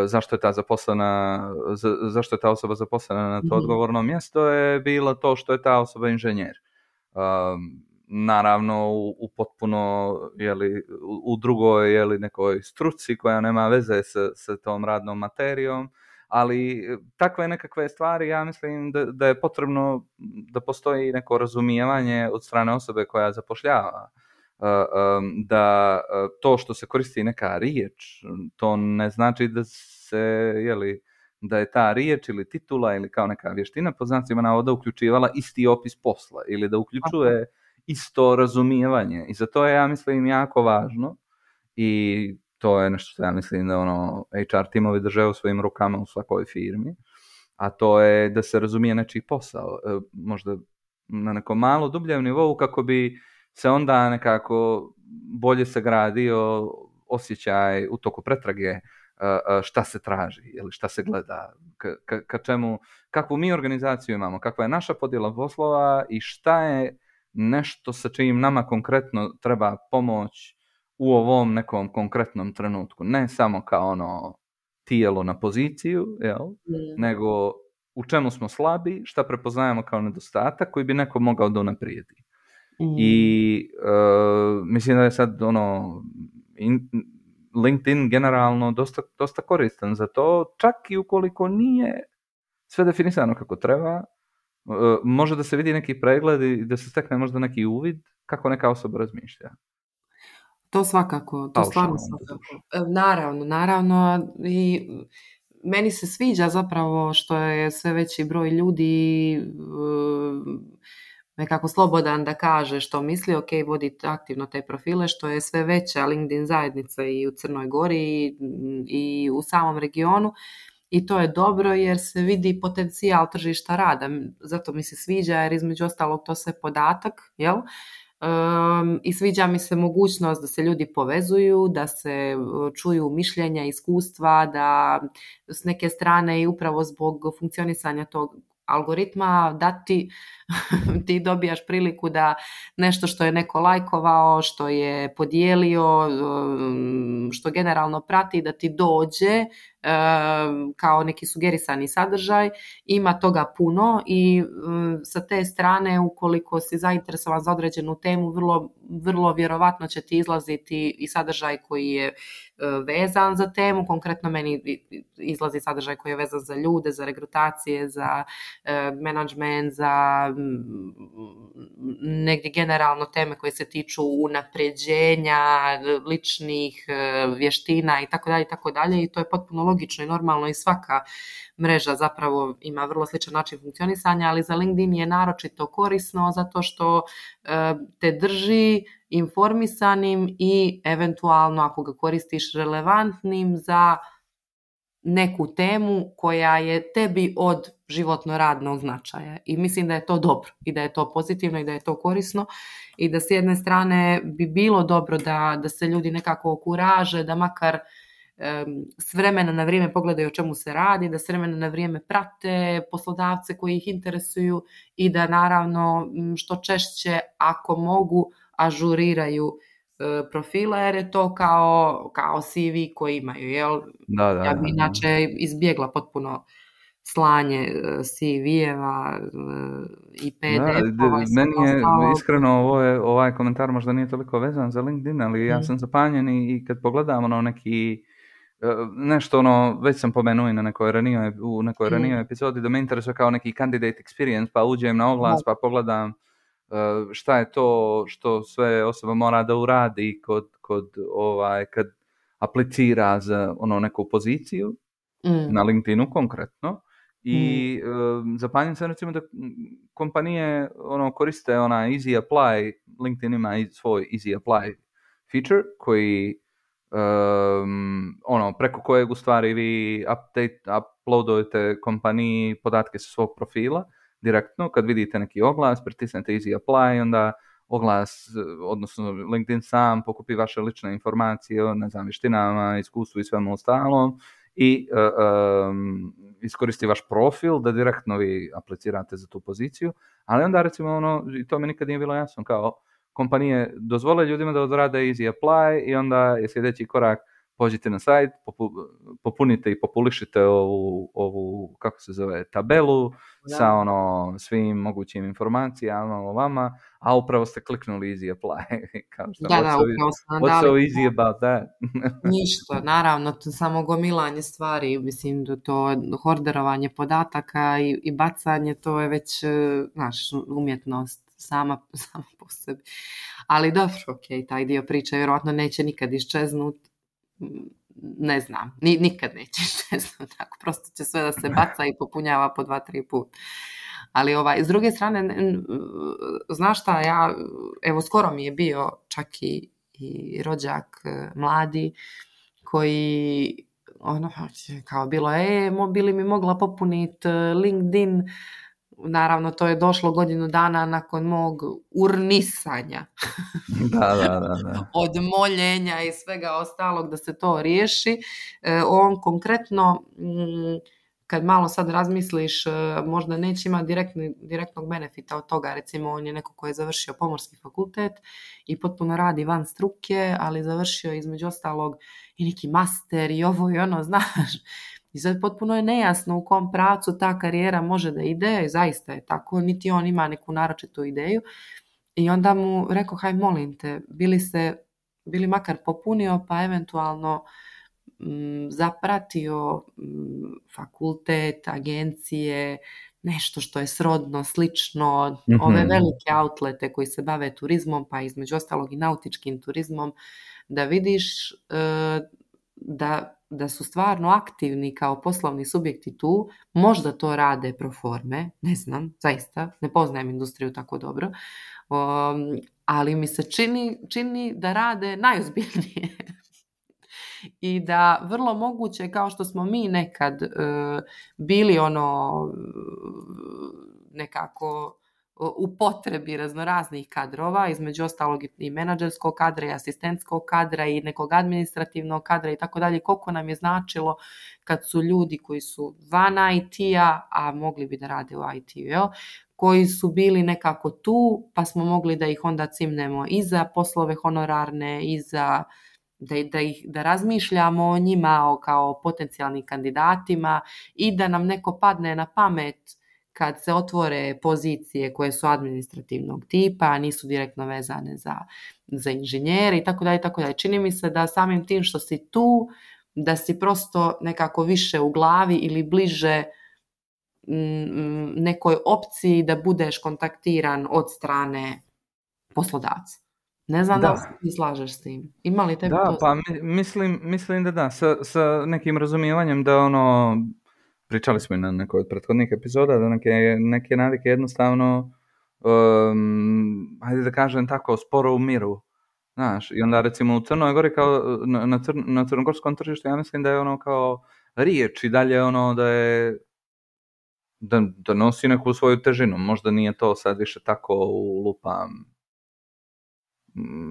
zašto je ta zaposlena, za, zašto je ta osoba zaposlena na to mm-hmm. odgovorno mjesto je bilo to što je ta osoba inženjer. Um, naravno u, u potpuno jeli, u, u drugoj jeli, nekoj struci koja nema veze sa, sa tom radnom materijom, ali takve nekakve stvari ja mislim da, da je potrebno da postoji neko razumijevanje od strane osobe koja zapošljava. Uh, um, da uh, to što se koristi neka riječ, to ne znači da se, jeli, da je ta riječ ili titula ili kao neka vještina pod znacima navoda uključivala isti opis posla ili da uključuje isto razumijevanje. I za to je, ja mislim, jako važno i to je nešto što ja mislim da ono H R timovi drže u svojim rukama u svakoj firmi. a to je da se razumije nečiji posao, možda na nekom malo dubljem nivou, kako bi se onda nekako bolje sagradio osjećaj u toku pretrage šta se traži ili šta se gleda, ka, ka, ka čemu, kakvu mi organizaciju imamo, kakva je naša podjela poslova i šta je nešto sa čim nama konkretno treba pomoć u ovom nekom konkretnom trenutku. Ne samo kao ono tijelo na poziciju, jel? Mm. nego u čemu smo slabi, šta prepoznajemo kao nedostatak koji bi neko mogao da unaprijedi. Mm. I uh, mislim da je sad ono in, LinkedIn generalno dosta, dosta koristan za to, čak i ukoliko nije sve definisano kako treba, uh, može da se vidi neki pregled i da se stekne možda neki uvid kako neka osoba razmišlja. To svakako, to stvarno svakako. Naravno, naravno i meni se sviđa zapravo što je sve veći broj ljudi nekako slobodan da kaže što misli, ok, voditi aktivno te profile, što je sve veća LinkedIn zajednica i u Crnoj Gori i, i u samom regionu. I to je dobro jer se vidi potencijal tržišta rada. Zato mi se sviđa jer između ostalog to sve podatak, jel? Um, i sviđa mi se mogućnost da se ljudi povezuju, da se čuju mišljenja, iskustva, da s neke strane i upravo zbog funkcionisanja tog algoritma da ti, ti dobijaš priliku da nešto što je neko lajkovao, što je podijelio, što generalno prati, da ti dođe kao neki sugerisani sadržaj. Ima toga puno i sa te strane ukoliko si zainteresovan za određenu temu, vrlo, vrlo vjerovatno će ti izlaziti i sadržaj koji je vezan za temu. Konkretno meni izlazi sadržaj koji je vezan za ljude, za regrutacije, za menadžment, za negdje generalno teme koje se tiču unapređenja ličnih vještina i tako dalje i tako dalje i to je potpuno logično i normalno i svaka mreža zapravo ima vrlo sličan način funkcionisanja, ali za LinkedIn je naročito korisno zato što te drži informisanim i eventualno ako ga koristiš relevantnim za neku temu koja je tebi od životno radnog značaja. I mislim da je to dobro i da je to pozitivno i da je to korisno i da s jedne strane bi bilo dobro da, da se ljudi nekako okuraže, da makar um, s vremena na vrijeme pogledaju o čemu se radi, da s vremena na vrijeme prate poslodavce koji ih interesuju i da naravno što češće ako mogu ažuriraju profila jer je to kao, kao C V koji imaju, jel? Da, da, ja bi inače da. izbjegla potpuno slanje C V-eva i P D F-ova. Da, meni je ostalo... iskreno ovo je, ovaj komentar možda nije toliko vezan za LinkedIn, ali mm. ja sam zapanjen i kad pogledam ono neki nešto ono, već sam pomenuo i na nekoj ranijoj, u nekoj ranijoj mm. epizodi da me interesuje kao neki candidate experience, pa uđem na oglas, da. pa pogledam šta je to što sve osoba mora da uradi kod, kod ovaj, kad aplicira za ono neku poziciju mm. na LinkedInu konkretno i mm. um, zapanjem se recimo da kompanije ono, koriste ona Easy Apply, LinkedIn ima svoj Easy Apply feature koji um, ono, preko kojeg u stvari vi update, uploadujete kompaniji podatke sa svog profila direktno, kad vidite neki oglas, pritisnete Easy Apply, onda oglas, odnosno LinkedIn sam pokupi vaše lične informacije o, ne znam, vještinama, iskustvu i svemu ostalom i uh, um, iskoristi vaš profil da direktno vi aplicirate za tu poziciju, ali onda recimo ono, i to mi nikad nije bilo jasno, kao kompanije dozvole ljudima da odrade Easy Apply i onda je sljedeći korak pođite na sajt, popu, popunite i populišite ovu, ovu, kako se zove, tabelu da. sa ono svim mogućim informacijama o vama, a upravo ste kliknuli Easy Apply. Kao što, da, da, upravo ste What's so easy about that? Ništa, naravno, to samo gomilanje stvari, mislim da to horderovanje podataka i, i bacanje, to je već, znaš, umjetnost sama, sama po sebi. Ali dobro, ok, taj dio priče vjerojatno neće nikad iščeznuti. Ne znam, Ni, nikad neće što tako, prosto će sve da se baca i popunjava po dva, tri put. Ali ovaj, s druge strane, znaš šta, ja, evo skoro mi je bio čak i, i rođak mladi koji ono, kao bilo, e, bili mi mogla popuniti LinkedIn. Naravno, to je došlo godinu dana nakon mog urnisanja. Da, da, da, da. Od moljenja i svega ostalog da se to riješi. E, on konkretno, m, kad malo sad razmisliš, možda neće imati direktni, direktnog benefita od toga. Recimo, on je neko koji je završio pomorski fakultet i potpuno radi van struke, ali završio između ostalog i neki master i ovo i ono, znaš. I sad potpuno je nejasno u kom pravcu ta karijera može da ide, zaista je tako, niti on ima neku naročitu ideju. I onda mu rekao, haj molim te, bili se, bili makar popunio, pa eventualno m, zapratio m, fakultet, agencije, nešto što je srodno, slično, mm-hmm. ove velike outlete koji se bave turizmom, pa između ostalog i nautičkim turizmom, da vidiš e, da, da su stvarno aktivni kao poslovni subjekti tu, možda to rade pro forme, ne znam, zaista, ne poznajem industriju tako dobro, um, ali mi se čini, čini da rade najozbiljnije. I da vrlo moguće, kao što smo mi nekad uh, bili ono nekako u potrebi raznoraznih kadrova, između ostalog i menadžerskog kadra i asistentskog kadra i nekog administrativnog kadra i tako dalje, koliko nam je značilo kad su ljudi koji su van I T-a, a mogli bi da rade u I T-u, jel? Koji su bili nekako tu, pa smo mogli da ih onda cimnemo i za poslove honorarne, i za da, da, ih, da razmišljamo o njima kao potencijalnim kandidatima i da nam neko padne na pamet kad se otvore pozicije koje su administrativnog tipa, nisu direktno vezane za, za inženjere i tako dalje, tako dalje. Čini mi se da samim tim što si tu, da si prosto nekako više u glavi ili bliže m, nekoj opciji da budeš kontaktiran od strane poslodavca. Ne znam da, da li se slažeš s tim. Ima li tebi da, to? Pa mislim, mislim da da, sa, sa nekim razumijevanjem da ono, pričali smo i na nekoj od prethodnih epizoda, da neke, neke navike jednostavno, um, hajde da kažem tako, sporo umiru. Znaš, i onda recimo u Crnoj Gori kao na, na, crn, na crnogorskom tržištu, ja mislim da je ono kao riječ i dalje ono da je da, da nosi neku svoju težinu. Možda nije to sad više tako u lupam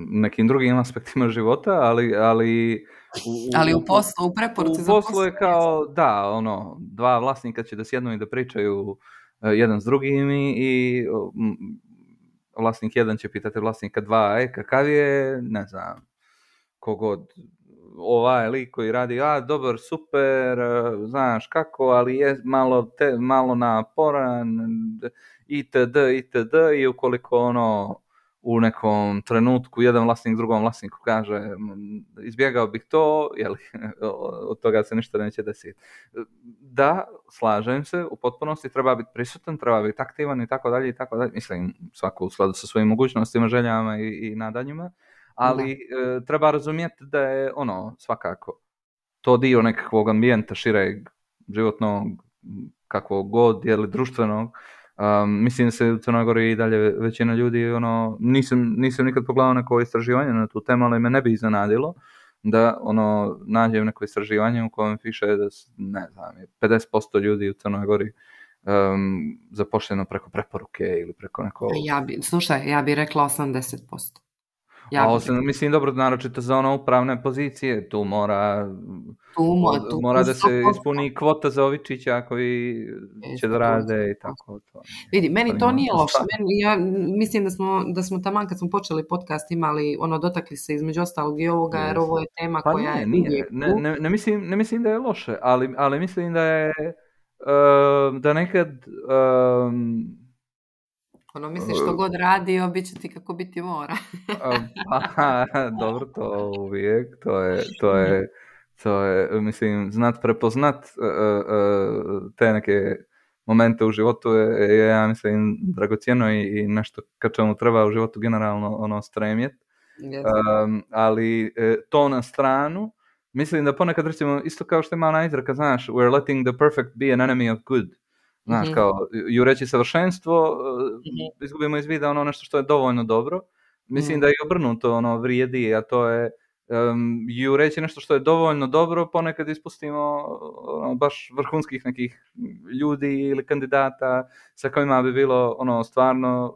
nekim drugim aspektima života, ali ali u, ali u poslu, u preporuci u poslu je kao, da, ono, dva vlasnika će da sjednu i da pričaju jedan s drugim i, i vlasnik jedan će pitati vlasnika dva, e, kakav je, ne znam, kogod, ovaj lik koji radi, a, dobar, super, znaš kako, ali je malo, te, malo naporan, itd., itd., i ukoliko ono, u nekom trenutku jedan vlasnik drugom vlasniku kaže izbjegao bih to, jeli, od toga se ništa neće desiti. Da, slažem se, u potpunosti treba biti prisutan, treba biti aktivan i tako dalje i tako dalje. Mislim, svako u skladu sa svojim mogućnostima, željama i, i nadanjima, ali e, treba razumjeti da je ono, svakako, to dio nekakvog ambijenta šireg, životnog, kakvog god, jeli, društvenog. Um, mislim da se u Crnoj Gori i dalje većina ljudi, ono, nisam, nisam nikad pogledao neko istraživanje na tu temu, ali me ne bi iznenadilo da ono, nađem neko istraživanje u kojem piše da, ne znam, pedeset posto ljudi u Crnoj Gori um, zaposleno preko preporuke ili preko neko... Ja bi, slušaj, ja bih rekla osamdeset posto. Ja A osam, mislim, dobro, naročito za ono upravne pozicije, tu mora, tu, mo, tu mora da se ispuni kvota za Ovičića koji će da rade i tako. To. Vidi, meni to nije loše. Meni, ja mislim da smo, da smo taman kad smo počeli podcast imali, ono, dotakli se između ostalog i ovoga, jer ovo je tema pa koja ne, je... Nije. Ne, ne, ne, mislim, ne mislim da je loše, ali, ali mislim da je, uh, da nekad... Um, Ono, misliš što god radio, bit će ti kako biti mora. Pa, dobro, to uvijek, to je, to je, to je, mislim, znat prepoznat uh, uh, te neke momente u životu je, je ja mislim, dragocjeno i, i nešto ka čemu treba u životu generalno ono stremjet. Yes. Um, ali to na stranu, mislim da ponekad, recimo, isto kao što ima ona izreka, znaš, we're letting the perfect be an enemy of good. Znaš, mm-hmm. kao, jureći savršenstvo, mm-hmm. izgubimo iz vida ono nešto što je dovoljno dobro. Mislim mm-hmm. da je obrnuto ono vrijedi, a to je um, i reći nešto što je dovoljno dobro, ponekad ispustimo ono, baš vrhunskih nekih ljudi ili kandidata sa kojima bi bilo ono stvarno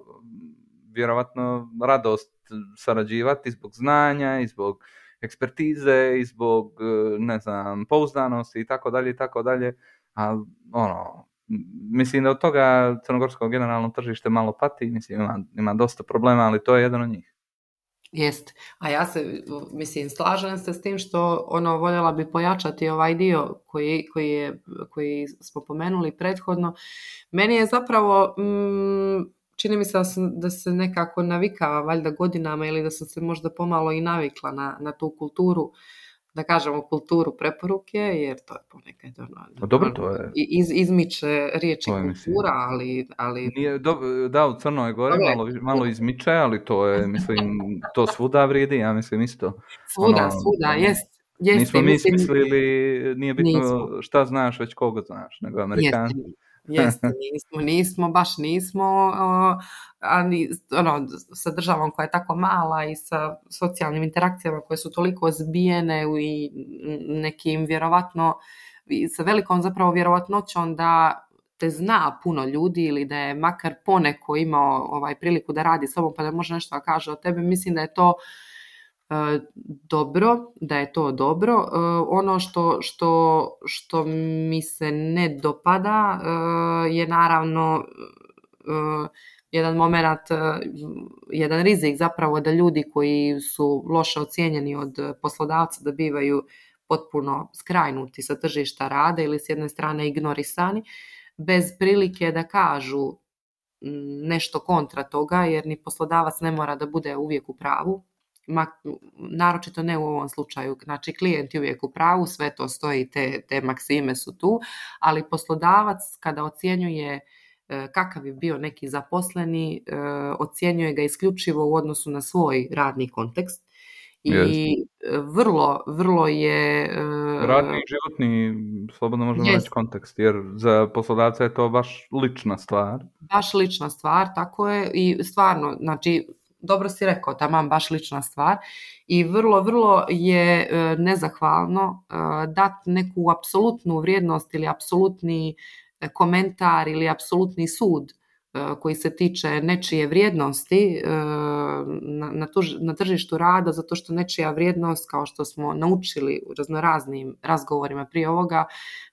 vjerovatno radost sarađivati zbog znanja i zbog ekspertize i zbog, ne znam, pouzdanosti i tako dalje i tako dalje, a ono, mislim da od toga crnogorsko generalno tržište malo pati, mislim ima, ima dosta problema, ali to je jedan od njih. Jest, a ja se, mislim, slažem se s tim što ono, voljela bi pojačati ovaj dio koji, koji, je, koji smo pomenuli prethodno. Meni je zapravo, mm, čini mi se da, sam, da se nekako navikava valjda godinama ili da sam se možda pomalo i navikla na, na tu kulturu, da kažemo kulturu preporuke, jer to je ponekad ono, dobro, to je. Iz, izmiče riječi kultura, ali... ali... Nije, do, da, u Crnoj Gori malo, malo izmiče, ali to je, mislim, to svuda vrijedi, ja mislim isto. Svuda, ono, svuda, ono, jest. Jeste, nismo mi mislim, smislili, nije bitno nismo. Šta znaš, već koga znaš, nego Amerikanci. Jeste, nismo, nismo, baš nismo, ali ono, sa državom koja je tako mala i sa socijalnim interakcijama koje su toliko zbijene i nekim vjerovatno, sa velikom zapravo vjerovatnoćom da te zna puno ljudi ili da je makar poneko imao ovaj priliku da radi s tobom pa da može nešto da kaže o tebi, mislim da je to Uh, dobro, da je to dobro. Uh, ono što, što, što mi se ne dopada uh, je naravno uh, jedan moment, uh, jedan rizik zapravo da ljudi koji su loše ocijenjeni od poslodavca da bivaju potpuno skrajnuti sa tržišta rada ili s jedne strane ignorisani, bez prilike da kažu nešto kontra toga, jer ni poslodavac ne mora da bude uvijek u pravu. Ma, naročito ne u ovom slučaju, znači klijent je uvijek u pravu, sve to stoji, te, te maksime su tu, ali poslodavac kada ocjenjuje e, kakav je bio neki zaposleni, e, ocjenjuje ga isključivo u odnosu na svoj radni kontekst i yes. vrlo, vrlo je... E, radni, životni, slobodno možemo yes. reći kontekst, jer za poslodavca je to baš lična stvar. Baš lična stvar, tako je, i stvarno, znači, dobro si rekao, taman baš lična stvar i vrlo, vrlo je e, nezahvalno e, dati neku apsolutnu vrijednost ili apsolutni komentar ili apsolutni sud e, koji se tiče nečije vrijednosti e, na, na, tuž, na tržištu rada, zato što nečija vrijednost, kao što smo naučili u raznoraznim razgovorima prije ovoga,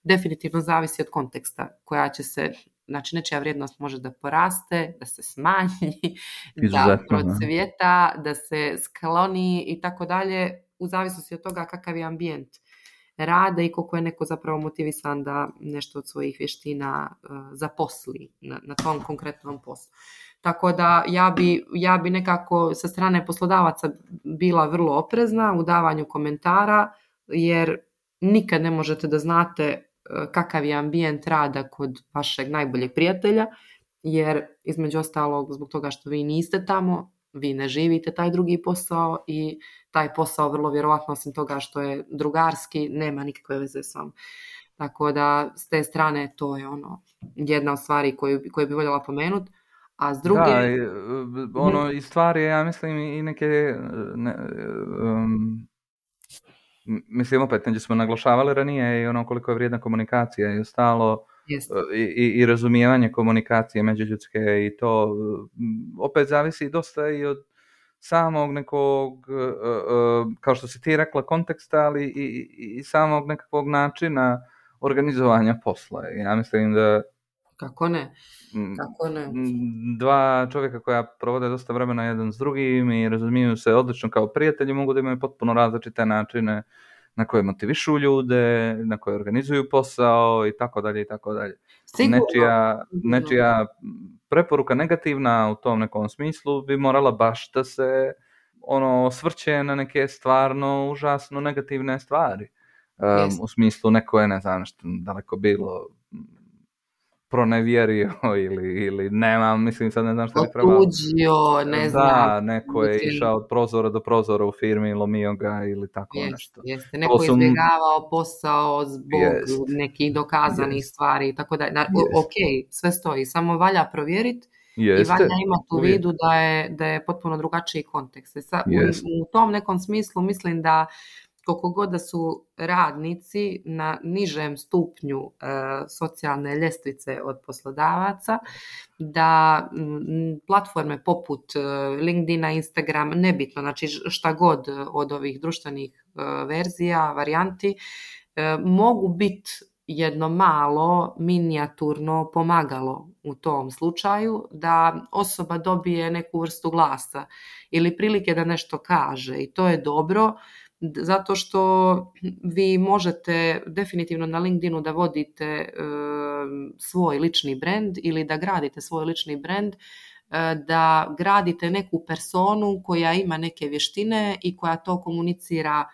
definitivno zavisi od konteksta koja će se... Znači, nečija vrijednost može da poraste, da se smanji, da procvjeta, da se skloni i tako dalje, u zavisnosti od toga kakav je ambijent rada i koliko je neko zapravo motivisan da nešto od svojih vještina uh, zaposli na, na tom konkretnom poslu. Tako da ja bi, ja bi nekako sa strane poslodavaca bila vrlo oprezna u davanju komentara, jer nikad ne možete da znate kakav je ambijent rada kod vašeg najboljeg prijatelja, jer između ostalog zbog toga što vi niste tamo, vi ne živite taj drugi posao i taj posao vrlo vjerovatno osim toga što je drugarski, nema nikakve veze s vama. Tako da s te strane to je ono jedna od stvari koju, koju bi voljela pomenuti. A s druge... Da, ono i stvari, ja mislim i neke... Ne, um... Mislim, opet, neđe smo naglašavali ranije i ono koliko je vrijedna komunikacija i ostalo i, i, i razumijevanje komunikacije međuljudske i to opet zavisi dosta i od samog nekog, kao što si ti rekla, konteksta, ali i, i, i samog nekakvog načina organizovanja posla. Ja mislim da Kako ne? Kako ne? Dva čovjeka koja provode dosta vremena jedan s drugim i razumiju se odlično kao prijatelji, mogu da imaju potpuno različite načine na koje motivišu ljude, na koje organizuju posao i tako dalje i tako dalje. Nečija, nečija preporuka negativna u tom nekom smislu bi morala baš da se ono osvrće na neke stvarno užasno negativne stvari. Um, u smislu neko je, ne znam, nešto daleko bilo pronevjerio ili, ili nema, mislim sad ne znam što bi trebalo. Otuđio, ne znam. Da, neko je išao od prozora do prozora u firmi i lomio ga ili tako jest, nešto. Jeste, neko je izbjegavao posao zbog jest. nekih dokazanih jest. stvari i tako da. Na, ok, sve stoji, samo valja provjeriti Jeste. I valja imati u vidu da je, da je potpuno drugačiji kontekst. Sa, u, u tom nekom smislu mislim da koliko god da su radnici na nižem stupnju e, socijalne ljestvice od poslodavaca, da m, platforme poput e, LinkedIna, Instagram, nebitno, znači šta god od ovih društvenih e, verzija, varijanti, e, mogu biti jedno malo minijaturno pomagalo u tom slučaju, da osoba dobije neku vrstu glasa ili prilike da nešto kaže, i to je dobro. Zato što vi možete definitivno na LinkedInu da vodite e, svoj lični brand ili da gradite svoj lični brand, e, da gradite neku personu koja ima neke vještine i koja to komunicira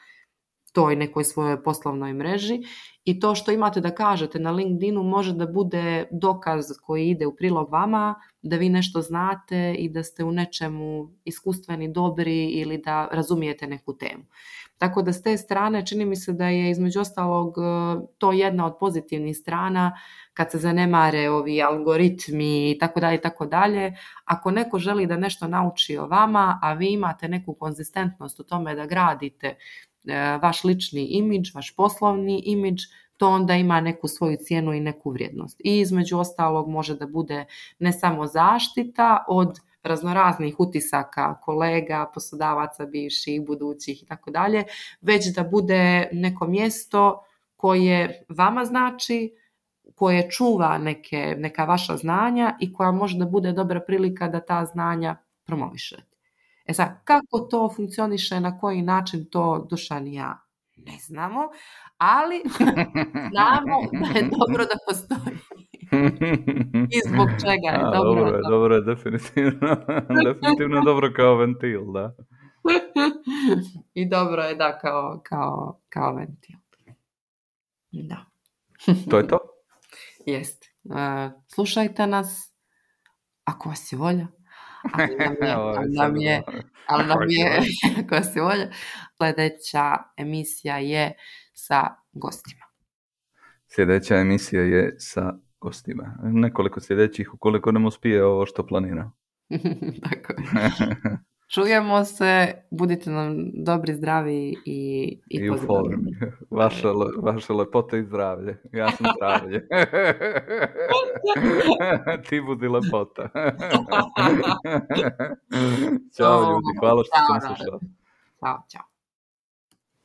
toj nekoj svojoj poslovnoj mreži, i to što imate da kažete na LinkedInu može da bude dokaz koji ide u prilog vama, da vi nešto znate i da ste u nečemu iskustveni, dobri ili da razumijete neku temu. Tako da s te strane čini mi se da je između ostalog to jedna od pozitivnih strana kad se zanemare ovi algoritmi i tako dalje i tako dalje. Ako neko želi da nešto nauči o vama, a vi imate neku konzistentnost u tome da gradite vaš lični imidž, vaš poslovni imidž, to onda ima neku svoju cijenu i neku vrijednost. I između ostalog može da bude ne samo zaštita od raznoraznih utisaka kolega, poslodavaca, bivših, budućih i tako dalje, već da bude neko mjesto koje vama znači, koje čuva neke, neka vaša znanja i koja može da bude dobra prilika da ta znanja promovišete. E sad, kako to funkcioniše, na koji način, to Dušan i ja ne znamo, ali znamo da je dobro da postoji. I zbog čega je A, dobro. Dobro je, dobro je, definitivno. Definitivno dobro kao ventil, da. I dobro je, da, kao, kao, kao ventil. Da. To je to? Jeste. Uh, slušajte nas, ako vas je volja. Ali nam je, ali nam je, ali nam je ako vas je volja, sljedeća emisija je sa gostima. Sljedeća emisija je sa gostima. Nekoliko sljedećih, ukoliko nam uspije ovo što planira. Tako je. Čujemo se, budite nam dobri, zdravi i, i, I u formi. Vaše, vaše lepote i zdravlje. Ja sam zdravlje. Ti budi lepota. Ćao ljudi, hvala što ste nas slušali. Ćao, ćao.